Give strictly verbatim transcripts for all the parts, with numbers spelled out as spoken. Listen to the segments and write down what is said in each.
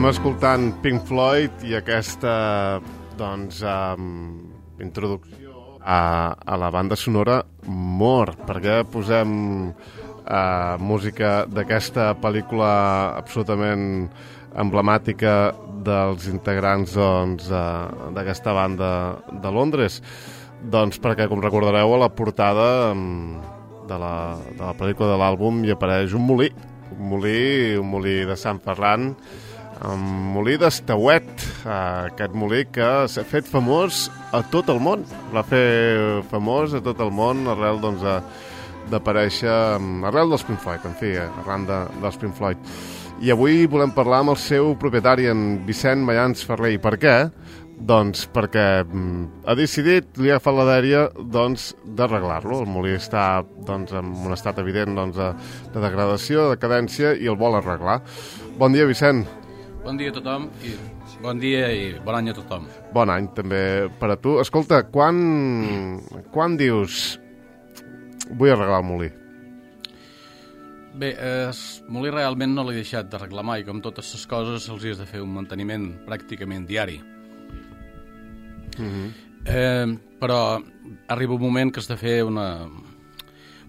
Estem escoltant Pink Floyd i aquesta, doncs, um, introducció a, a la banda sonora More. Per què posem uh, música d'aquesta pel·lícula absolutament emblemàtica dels integrants doncs, uh, d'aquesta banda de Londres? Doncs perquè, com recordareu, a la portada um, de, la, de la pel·lícula de l'àlbum hi apareix un molí, un molí, un molí de Sant Ferran, un molí d'Estauet, aquest molí que s'ha fet famós a tot el món, va fer famós a tot el món arrel doncs, d'aparèixer, arrel dels Pink Floyd, en fi, arran de, dels Pink Floyd. I avui volem parlar amb el seu propietari, en Vicent Mayans Ferrer. I per què? Doncs perquè ha decidit, li ha agafat la dèria doncs, d'arreglar-lo. El molí està doncs, en un estat evident doncs, de, de degradació, de decadència, i el vol arreglar. Bon dia, Vicent. Bon dia a tothom, i bon dia i bon any a tothom. Bon any també per a tu. Escolta, quan, quan dius vull arreglar el molí? Bé, el molí realment no l'he deixat d'arreglar mai. Com totes les coses, els has de fer un manteniment pràcticament diari. Mm-hmm. eh, però arriba un moment que has de fer una,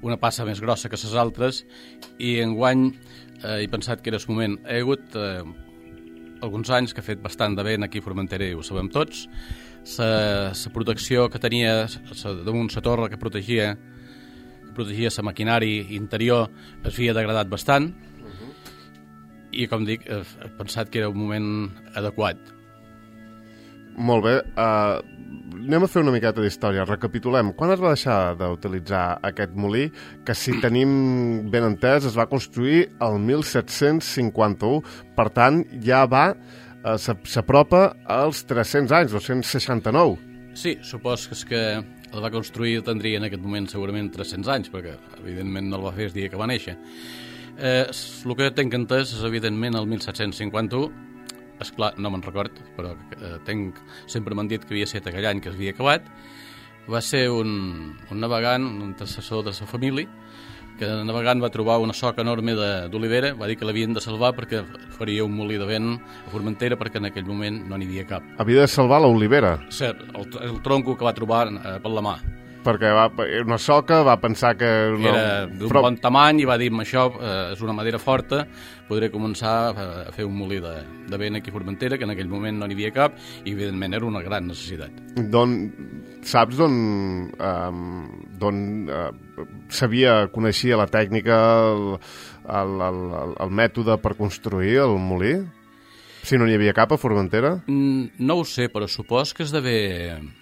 una passa més grossa que les altres, i enguany eh, he pensat que era el moment. He hagut eh, alguns anys que ha fet bastant de vent aquí a Formentera, i ho sabem tots. La protecció que tenia sa, damunt la torre que protegia que protegia la maquinari interior es havia degradat bastant. Uh-huh. I, com dic, he, he pensat que era un moment adequat. Molt bé. Uh, anem a fer una miqueta d'història. Recapitulem. Quan es va deixar d'utilitzar aquest molí, que si tenim ben entès es va construir el mil set-cents cinquanta-u, per tant ja va uh, s'apropa als tres-cents anys, dos-cents seixanta-nou. Sí, supos que és que el va construir tindria en aquest moment segurament tres-cents anys, perquè evidentment no el va fer el dia que va néixer. Eh, el que tinc entès és evidentment el mil set-cents cinquanta-u. Esclar, no me'n record, però eh, tenc, sempre m'han dit que havia estat aquell any que es havia acabat. Va ser un, un navegant, un antecessor de la família, que navegant va trobar una soca enorme d'olivera, va dir que l'havien de salvar perquè faria un molí de vent a Formentera, perquè en aquell moment no n'hi havia cap. Havia de salvar l'olivera? Sí, el, el tronco que va trobar eh, per la mà. Perquè va, una soca va pensar que... Una... Era d'un Però... bon tamany, i va dir, això eh, és una madera forta, podré començar a, a fer un molí de, de vent aquí a Formentera, que en aquell moment no n'hi havia cap, i evidentment era una gran necessitat. Don, saps d'on um, d'on uh, sabia, coneixia la tècnica, el, el, el, el mètode per construir el molí? Si no n'hi havia cap a Formentera? Mm, no ho sé, però supos que es d'haver...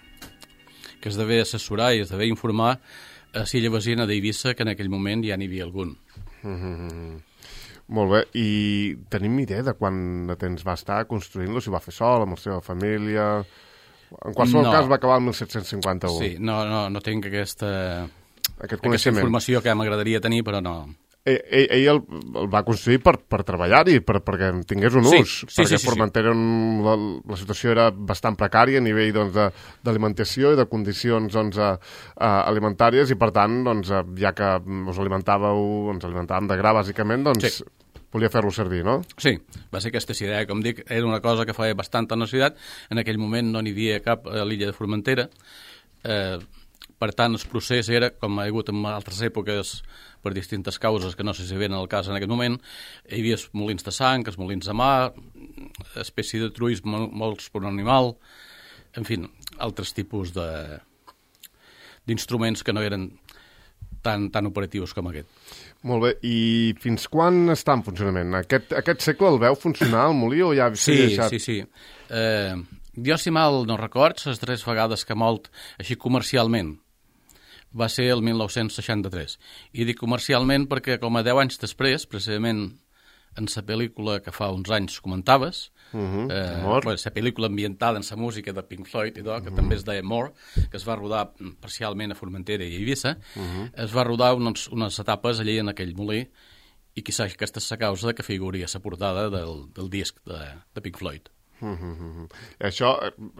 que es devia assessorar i es devia informar a l'illa vecina d'Eivissa, que en aquell moment ja n'hi havia algun. Mm-hmm. Molt bé. I tenim idea de quant de temps va estar construint-lo? Si ho va fer sol, amb la seva família... En qualsevol no. cas va acabar el mil set-cents cinquanta-u. Sí, no, no, no tinc aquesta, Aquest aquesta informació que m'agradaria tenir, però no... Ell, ell, ell el, el va construir per, per treballar-hi, per, perquè en tingués un sí, ús, sí, perquè sí, sí, Formentera sí. la, la situació era bastant precària a nivell doncs, d'alimentació i de condicions doncs, a, a alimentàries, i per tant, doncs, ja que us alimentàveu, ens alimentàvem de gra, bàsicament, doncs sí. volia fer-lo servir, no? Sí, va ser aquesta idea, com dic, era una cosa que feia bastanta necessitat. En aquell moment no n'hi havia cap a l'illa de Formentera, eh, per tant, el procés era, com ha hagut en altres èpoques, per distintes causes que no sé si venen al cas en aquest moment, hi havia els molins de sang, els molins de mà, espècie de truís molts per un animal, en fi, altres tipus de d'instruments que no eren tan, tan operatius com aquest. Molt bé, i fins quan està en funcionament? Aquest, aquest segle el veu funcionar, el molí, o ja s'ha sí, deixat? Sí, sí, sí. Eh, jo, si mal no record, les tres vegades que ha molt així comercialment va ser el mil nou-cents seixanta-tres. I dic comercialment perquè com a deu anys després, precisament en la pel·lícula que fa uns anys comentaves, uh-huh. eh, bueno, la pel·lícula ambientada en la música de Pink Floyd, i tot, que uh-huh. també es deia More, que es va rodar parcialment a Formentera i a Eivissa, uh-huh. es va rodar unes, unes etapes allí en aquell molí, i quizà aquesta és la causa que figuria la portada del, del disc de, de Pink Floyd. Mm-hmm. Això,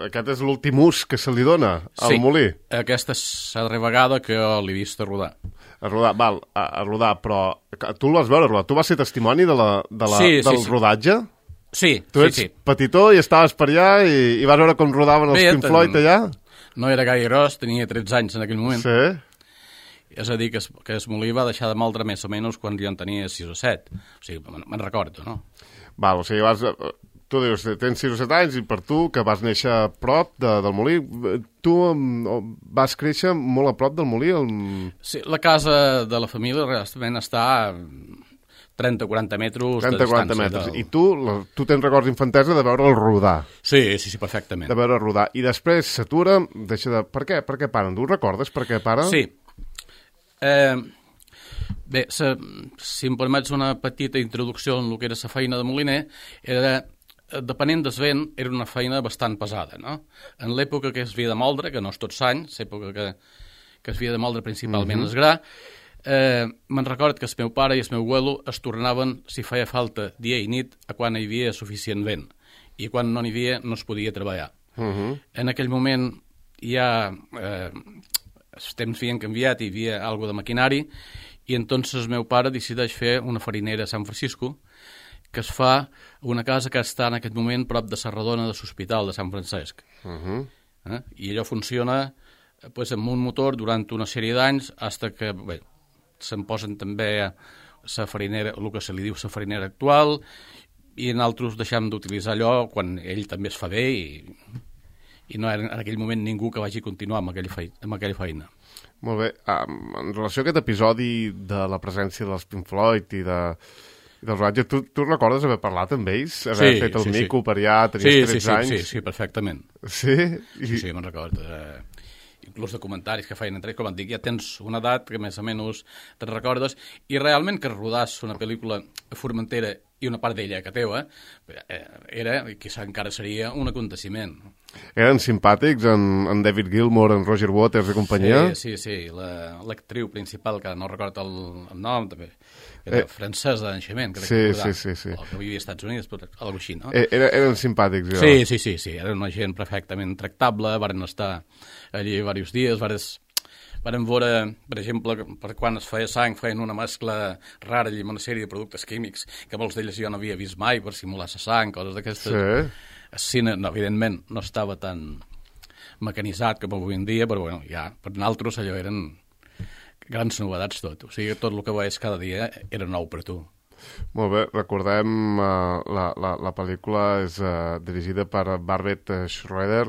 aquest és l'últim ús que se li dona al sí, molí? Sí, aquesta és la darrera vegada que l'he vist a rodar. A rodar, val, a, a rodar, però tu el vas veure rodar, tu vas ser testimoni de la, de la, sí, del sí, sí. rodatge? Sí, tu sí, ets sí. petitó i estaves per allà i, i vas veure com rodaven els Bé, Pink Floyd allà? No era gaire gros, tenia tretze anys en aquell moment. Sí. És a dir, que es, que es molí va deixar de moldre més o menys quan jo en tenia sis o set. O sigui, me'n recordo, no? Val, o sigui, vas... Tu dius, tens sis o set anys i per tu, que vas néixer a prop de, del molí, tu vas créixer molt a prop del molí? El... Sí, la casa de la família realment està a trenta o quaranta metres trenta de quaranta distància. metres. Del... I tu, tu tens records infantesa de veure'l rodar. Sí, sí, sí, perfectament. De veure rodar. I després s'atura, deixa de... Per què? Per què paren? Tu recordes per què paren? Sí. Eh, bé, se, si em permets una petita introducció en el que era la feina de moliner, era... depenent del vent, era una feina bastant pesada, no? En l'època que es havia de moldre, que no és tot l'any, l'època que, que es havia de moldre principalment mm -hmm. el gra, eh, me'n record que el meu pare i el meu abuelo es tornaven, si feia falta, dia i nit, a quan hi havia suficient vent. I quan no n'hi havia, no es podia treballar. Mm -hmm. En aquell moment ja eh, els temps havien canviat, hi havia alguna de maquinari, i entonces el meu pare decideix fer una farinera a San Francisco, que es fa una casa que està en aquest moment prop de la redona de l'Hospital de Sant Francesc. Uh -huh. eh? I allò funciona pues, amb un motor durant una sèrie d'anys fins que bé, se'n posen també la farinera, el que se li diu la farinera actual, i nosaltres deixem d'utilitzar allò quan ell també es fa bé i, i no era en aquell moment ningú que vagi continuar amb aquella feina. Amb aquella feina. Molt bé. Um, en relació a aquest episodi de la presència dels Pink Floyd i de... dels Roger, tu, tu recordes haver parlat amb ells? Haver sí, fet el sí, mico sí. per allà, tenies sí, tretze sí, sí, anys? Sí, sí, perfectament. Sí? I... Sí, sí, me'n recordo. Eh, inclús de comentaris que feien entre ells, com et dic, ja tens una edat que més o menys te'n recordes, i realment que rodàs una pel·lícula a Formentera i una part d'ella que teua, eh, era, i quizà encara seria, un aconteciment. Eren simpàtics, en, en David Gilmour, en Roger Waters i companyia? Sí, sí, sí. L'actriu la, principal, que no recordo el, el nom, també, era eh, francès de naixement, crec sí, que sí, sí, sí. O que vivia als Estats Units, però alguna així, no? Eh, era, eren simpàtics, jo. Sí, sí, sí, sí, era una gent perfectament tractable, varen estar allí diversos dies, varen, varen veure, per exemple, per quan es feia sang, feien una mescla rara allí amb una sèrie de productes químics, que molts d'ells jo no havia vist mai per simular la sang, coses d'aquestes. Sí. El cine, no, evidentment, no estava tan mecanitzat com avui en dia, però bueno, ja, per nosaltres allò eren grans novedats tot. O sigui, tot el que veies cada dia era nou per tu. Molt bé, recordem uh, la, la, la pel·lícula és uh, dirigida per Barbet Schroeder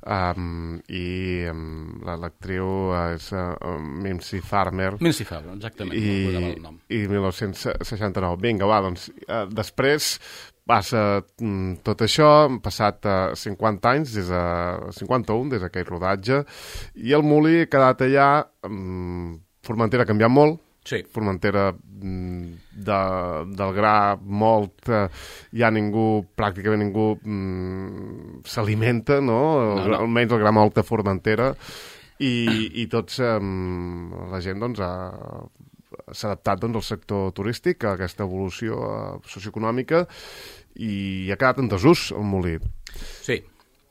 um, i um, l'actriu és uh, Mimsy Farmer. Mimsy Farmer, exactament, I, no el nom. I dinou seixanta-nou. Vinga, va, doncs, uh, després passa mm, tot això, han passat uh, cinquanta anys, des de cinquanta-un, des d'aquell rodatge, i el molí ha quedat allà, um, Formentera ha canviat molt, sí. Formentera de, del gra molt, eh, ja ningú, pràcticament ningú mm, s'alimenta, no? no, no? Almenys el gra molt de Formentera, i, i tots, eh, la gent doncs ha s'ha adaptat doncs, al sector turístic, a aquesta evolució eh, socioeconòmica, i ha quedat en desús el molí. Sí.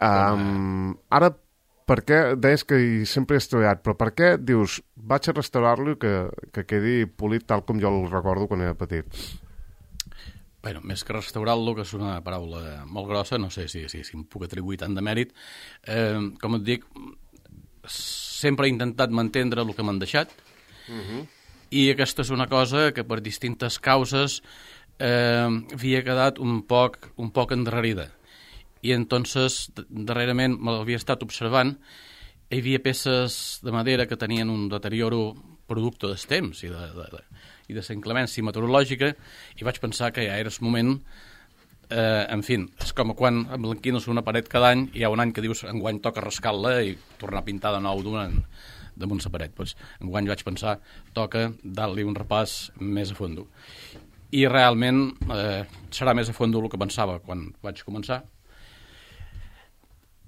Um, ara, per què, deies que hi sempre he treballat, però per què dius, vaig a restaurar-lo i que, que quedi polit tal com jo el recordo quan era petit? Bueno, més que restaurar-lo, que és una paraula molt grossa, no sé si, si, si em puc atribuir tant de mèrit, eh, com et dic, sempre he intentat mantendre el que m'han deixat, uh-huh. I aquesta és una cosa que per distintes causes eh, havia quedat un poc, un poc endarrerida. I entonces, darrerament, me l'havia estat observant, hi havia peces de madera que tenien un deterioro producte dels temps i de, de, de, i de la inclemència meteorològica, i vaig pensar que ja era el moment, eh, en fi, és com quan emblanquines una paret cada any, i hi ha un any que dius, enguany toca rascar-la i tornar a pintar de nou d'un damunt la paret. Pues, enguany vaig pensar, toca dar-li un repàs més a fondo. I realment eh, serà més a fondo el que pensava quan vaig començar,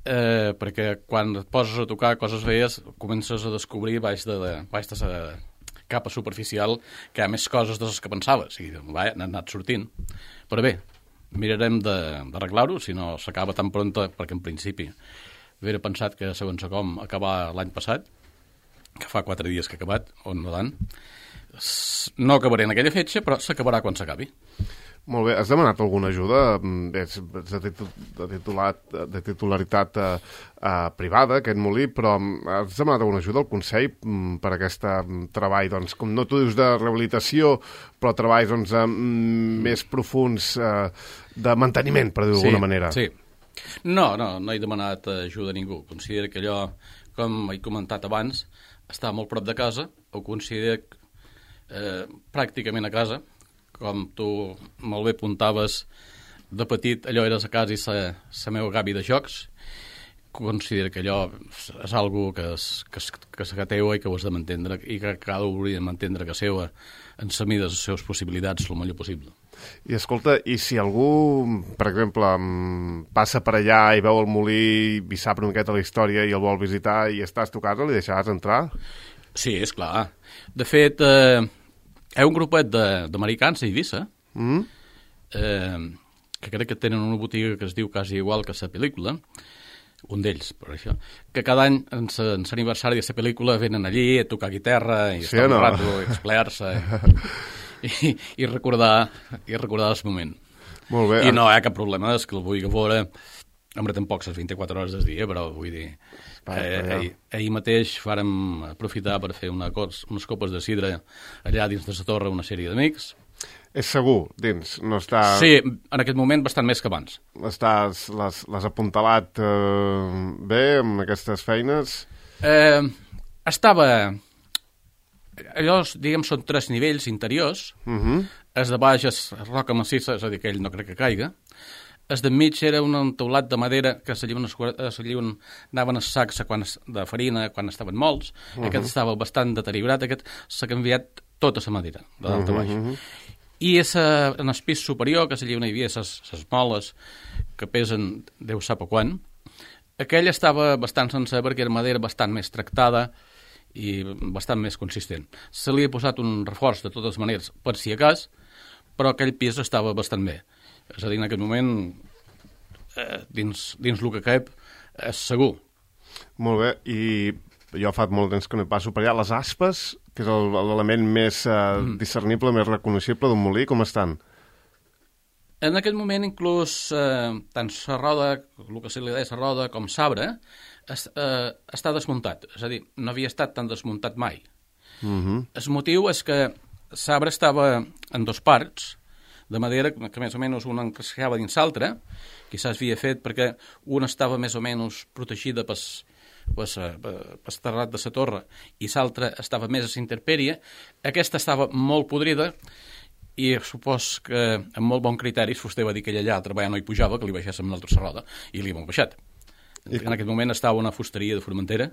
eh, perquè quan et poses a tocar coses veies, comences a descobrir baix de, de, baix de la capa superficial que hi ha més coses de les que pensaves, i va, han anat sortint. Però bé, mirarem d'arreglar-ho, si no s'acaba tan pronta, perquè en principi havia pensat que segons com acabar l'any passat, que fa quatre dies que ha acabat, o no tant. No acabaré en aquella fetge, però s'acabarà quan s'acabi. Molt bé, has demanat alguna ajuda? És de, titu de, titulat, de titularitat eh, eh, privada, aquest molí, però has demanat alguna ajuda al Consell per aquest treball, doncs, com no tu dius de rehabilitació, però treballs doncs, eh, més profuns eh, de manteniment, per dir-ho sí, d'alguna manera? Sí, no, no, no he demanat ajuda a ningú. Considero que allò, com he comentat abans, està molt prop de casa, ho considero eh, pràcticament a casa. Com tu molt bé apuntaves, de petit allò eres a casa i la, la meva gavi de jocs. Considero que allò és algo que és, que és, que és teua i que ho has de mantindre i que cada un hauria de mantindre que seva en la mida de les seves possibilitats el millor possible. I escolta, i si algú, per exemple, passa per allà i veu el molí i sap una miqueta la història i el vol visitar i estàs a tu casa, li deixaràs entrar? Sí, és clar. De fet, eh, hi ha un grupet d'americans a Eivissa mm. eh, que crec que tenen una botiga que es diu quasi igual que la pel·lícula, un d'ells, per això, que cada any en l'aniversari de la pel·lícula venen allí a tocar guitarra i sí, estar no? un rato, i explear-se i, i, recordar, i recordar el moment. Molt bé. I no hi ha cap problema, és que el vull veure, home, tampoc les vint-i-quatre hores del dia, però vull dir... Eh, ahir, ahir mateix vàrem aprofitar per fer una cos, unes copes de sidra allà dins de la torre, una sèrie d'amics. És segur, dins? No està... Sí, en aquest moment bastant més que abans. Estàs, les, les apuntalat eh, bé amb aquestes feines? Eh, estava... Allò, diguem, són tres nivells interiors. Uh -huh. El de baix és roca massissa, és a dir, que ell no crec que caiga. El d'enmig era un teulat de madera que s'allien anaven els sacs quan, de farina quan estaven molts. Uh -huh. Aquest estava bastant deteriorat. Aquest s'ha canviat tota la madera, de dalt a baix. Uh -huh. I esa, en el pis superior, que allà on hi havia les moles que pesen Déu sap a quan, aquell estava bastant sencer perquè era madera bastant més tractada i bastant més consistent. Se li ha posat un reforç de totes maneres per si a cas, però aquell pis estava bastant bé. És a dir, en aquest moment, eh, dins, dins el que cap, és segur. Molt bé, i jo fa molt temps que no hi passo per allà. Les aspes, que és l'element més eh, mm. discernible, més reconeixible d'un molí, com estan? En aquest moment, inclús, eh, tant la roda, el que se li deia la roda, com l'arbre, es, eh, està desmuntat. És a dir, no havia estat tan desmuntat mai. Mm -hmm. El motiu és que l'arbre estava en dos parts, de manera que més o menys una encasquejava dins l'altra, quizás havia fet perquè una estava més o menys protegida per el terrat de la torre i l'altra estava més a la intempèrie. Aquesta estava molt podrida i supos que amb molt bon criteri vostè va dir que allà a treballar no hi pujava, que li baixéssim l'altra serrada, i li hem baixat. I en aquest moment estava una fusteria de Formentera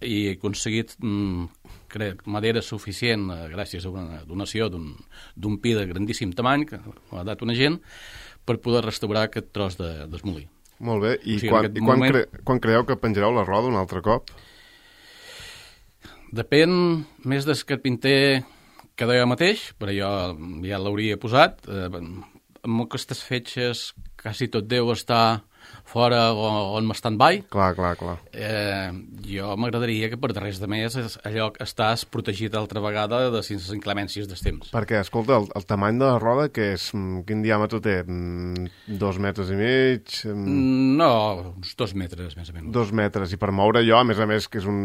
i he aconseguit, mm, crec, madera suficient, eh, gràcies a una donació d'un pi de grandíssim tamany, que m'ha dat una gent, per poder restaurar aquest tros de, d'esmolí. Molt bé, i, o sigui, quan, i quan, moment... cre quan creieu que penjareu la roda un altre cop? Depèn més del carpinter que jo mateix, però jo ja l'hauria posat. Eh, amb aquestes fetges quasi tot deu estar fora o on m'estan by. Clar, clar, clar. Eh, jo m'agradaria que per res de més allò estàs protegit altra vegada de les inclemències dels temps. Perquè, escolta, el, el tamany de la roda, que és, quin diàmetre té? Dos metres i mig? No, uns dos metres, més o menys. Dos metres, i per moure allò, a més a més, que és un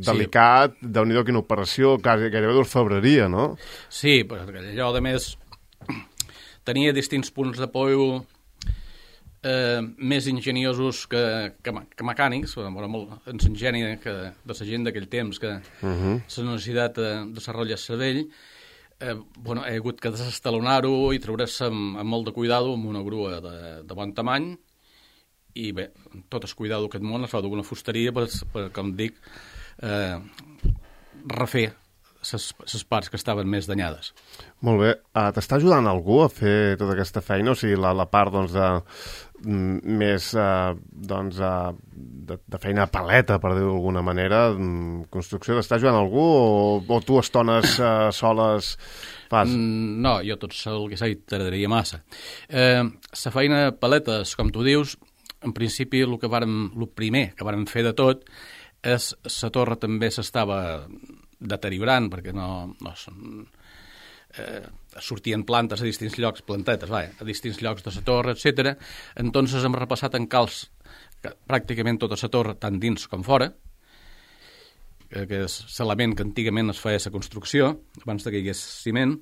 delicat, sí. Déu-n'hi-do, quina operació, quasi, gairebé d'orfebreria, no? Sí, perquè allò, a més, tenia distints punts d'apoyo Eh, més enginyosos que, que, que mecànics, molt, ens ingeni que, de la gent d'aquell temps que uh -huh. la necessitat de desenvolupar el cervell, eh, bueno, he hagut que desestalonar-ho i treure-se amb, amb molt de cuidado amb una grua de, de bon tamany i bé, tot el cuidado d'aquest món es fa d'una fusteria per, per, com dic, eh, refer les parts que estaven més danyades. Molt bé. Uh, T'està ajudant algú a fer tota aquesta feina? O sigui, la, la part doncs, de, més uh, doncs, uh, de, de feina a paleta, per dir-ho d'alguna manera, construcció, t'està ajudant algú o, o tu estones uh, soles fas? Mm, no, jo tot sol que sé t'agradaria massa. Eh, la feina a paletes, com tu dius, en principi el que vàrem, el primer que vàrem fer de tot és la torre també s'estava deteriorant perquè no, no, eh, sortien plantes a distints llocs, plantetes, va, a distints llocs de la torre, etcètera. Entonces hem repassat en calç pràcticament tota la torre, tant dins com fora, que és l'element que antigament es feia a la construcció, abans que hi hagués ciment,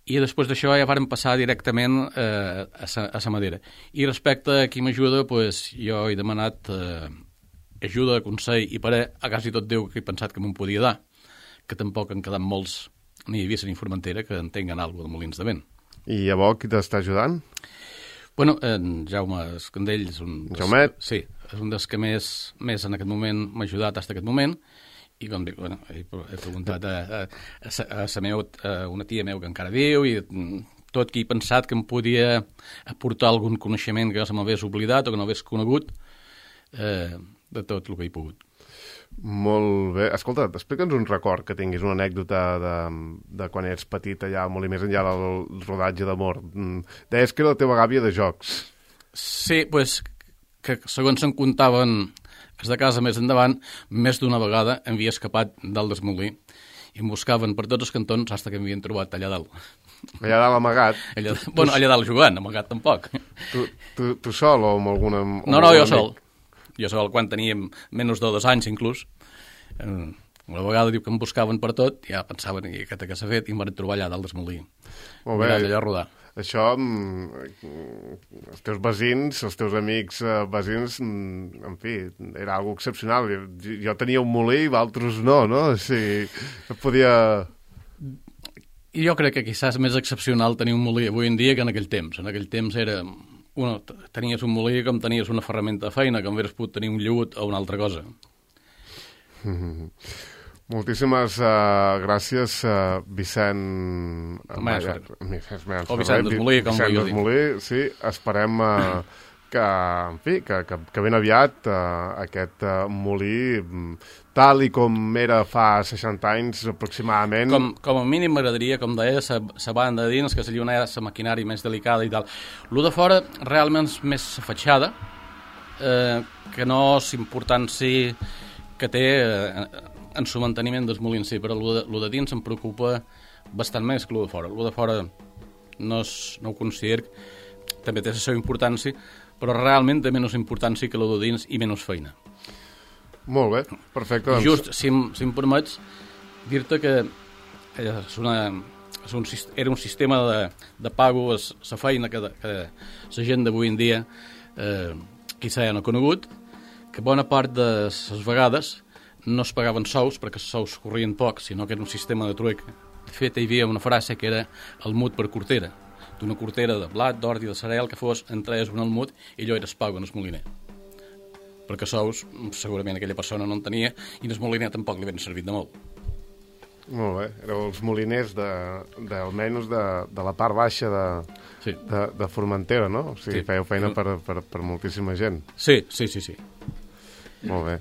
i després d'això ja vàrem passar directament eh, a la madera. I respecte a qui m'ajuda, pues, jo he demanat eh, ajuda, consell i parer a quasi tot Déu que he pensat que me'n podia dar, que tampoc han quedat molts, ni a Eivissa ni Formentera, que entenguen alguna cosa de molins de vent. I llavors qui t'està ajudant? Bueno, en Jaume Escandell és un... Jaumet? Sí, és un dels que més, més en aquest moment m'ha ajudat fins aquest moment, i com dic, bueno, he, he preguntat a, a, a, a, a, meu, a una tia meu que encara viu, i tot qui he pensat que em podia aportar algun coneixement que se m'hagués oblidat o que no hagués conegut, eh, de tot el que he pogut. Molt bé. Escolta, explica'ns un record que tinguis, una anècdota de, de quan eres petit allà, molt i més enllà del rodatge d'Amor. Deies que era la teva gàbia de jocs. Sí, doncs, pues, que segons se'n contaven els de casa més endavant, més d'una vegada em havia escapat dalt del molí i em buscaven per tots els cantons fins que m'havien trobat allà dalt. Allà dalt amagat? Allà, bueno, allà dalt jugant, amagat tampoc. Tu, tu, tu sol o amb alguna... Amb no, no, jo sol. Jo sol, quan teníem menys de dos anys, inclús. Una vegada diu que em buscaven per tot, ja pensaven que aquest que s'ha fet, i em van trobar allà dalt del molí. Molt bé. Allà a rodar. Això, els teus veïns, els teus amics veïns, en fi, era algo excepcional. Jo tenia un molí i altres no, no? O sigui, podia... I jo crec que quizás més excepcional tenir un molí avui en dia que en aquell temps. En aquell temps era... Bueno, tenies un molí com tenies una ferramenta de feina, com hauries pogut tenir un llut o una altra cosa. Mm-hmm. Moltíssimes uh, gràcies, uh, Vicent... Maia, o Vicent Desmolí, com Vicent Desmolí, sí. Esperem uh, que, en fi, que, que, que ben aviat uh, aquest uh, molí, tal i com era fa seixanta anys aproximadament... Com, com a mínim m'agradaria, com deia, la banda de dins, que se li una la maquinària més delicada i tal. Lo de fora realment és més la fatxada, eh, que no és important si que té... Eh, en su manteniment dels molins, sí, però el de, el de dins em preocupa bastant més que el de fora. El de fora no, és, no ho considero, també té la seva importància, però realment té menys importància que el de dins i menys feina. Molt bé, perfecte. Doncs... Just, si, si em permets, dir-te que és una, és un, era un sistema de, de pago, la feina que, que la gent d'avui en dia eh, quizà ja no ha conegut, que bona part de les vegades no es pagaven sous, perquè els sous corrien poc, sinó que era un sistema de truec. De fet, hi havia una frase que era el mut per cortera. D'una cortera de blat, d'ordi, de cereal, que fos, entraies un al mut i allò era es pago en el moliner. Perquè sous, segurament aquella persona no en tenia, i en el moliner tampoc li havien servit de molt. Molt bé, éreu els moliners de, de, almenys de, de la part baixa de, sí. de, de Formentera, no? O sigui, sí. Fèieu feina per, per, per moltíssima gent. Sí, sí, sí, sí. Molt bé.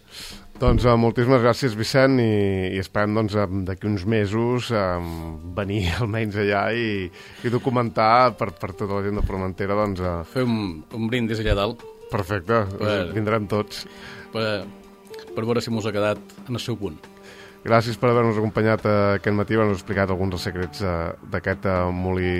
Doncs uh, moltíssimes gràcies, Vicent, i, i esperem doncs, d'aquí uns mesos um, venir almenys allà i, i documentar per, per tota la gent de Formentera. Doncs, uh... Fer un, un brindis allà dalt. Perfecte, per, vindrem tots. Per, per veure si mos ha quedat en el seu punt. Gràcies per haver-nos acompanyat uh, aquest matí, haver-nos explicat alguns dels secrets uh, d'aquest uh, molí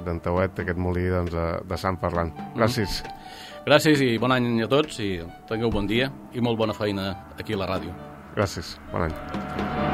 d'en Tauet, aquest molí doncs, uh, de Sant Ferran. Gràcies. Mm. Gràcies i bon any a tots i tingueu bon dia i molt bona feina aquí a la ràdio. Gràcies, bon any.